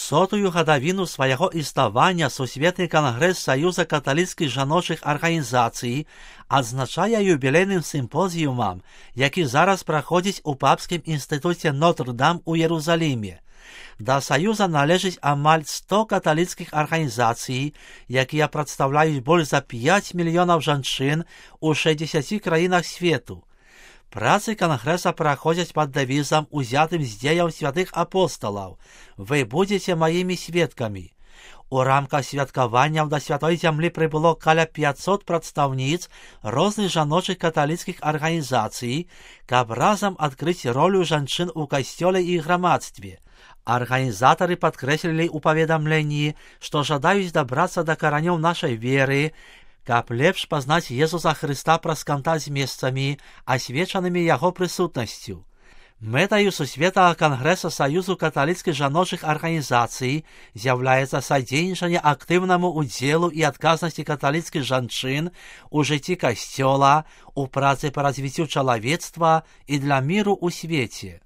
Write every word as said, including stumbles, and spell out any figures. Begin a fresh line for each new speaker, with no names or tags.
сотую гадавіну свайго існавання Сусветны кангрэс Саюза каталіцкіх жаночых арганізацый адзначае юбілейным сімпозіумам, які зараз праходзіць у папскім інстытуце Нотр-Дам у Єрусаліме. Да Саюза належыць амаль сто каталіцкіх арганізацый, якія прадстаўляюць больш за пяць мільёнаў жанчын у шэсцідзесяці краінах свету. Працы кангрэса праходзяць пад дэвізам, узятым з дзеяў святых апосталаў. Вы будзеце маімі сведкамі. У рамках святкаванняў да святой зямлі прыбыло каля пяцьсот прадстаўніц розных жаночых каталіцкіх арганізацый, каб разам адкрыць ролю жанчын у касцёле і грамадстве. Арганізатары падкрэслілі ў паведамленні, што жадаюць дабрацца да каранёў нашай веры, каб лепш пазнаць Езуса Хрыста праз кантакт з месцамі, асвечанымі яго прысутнасцю. Мэтаю Сусветнага кангрэса Саюзу каталіцкіх жаночых арганізацый з'яўляецца садзейнічанне актыўнаму ўдзелу і адказнасці каталіцкіх жанчын у жыцці касцёла, у працы па развіццю чалавецтва і для міру ў свеце.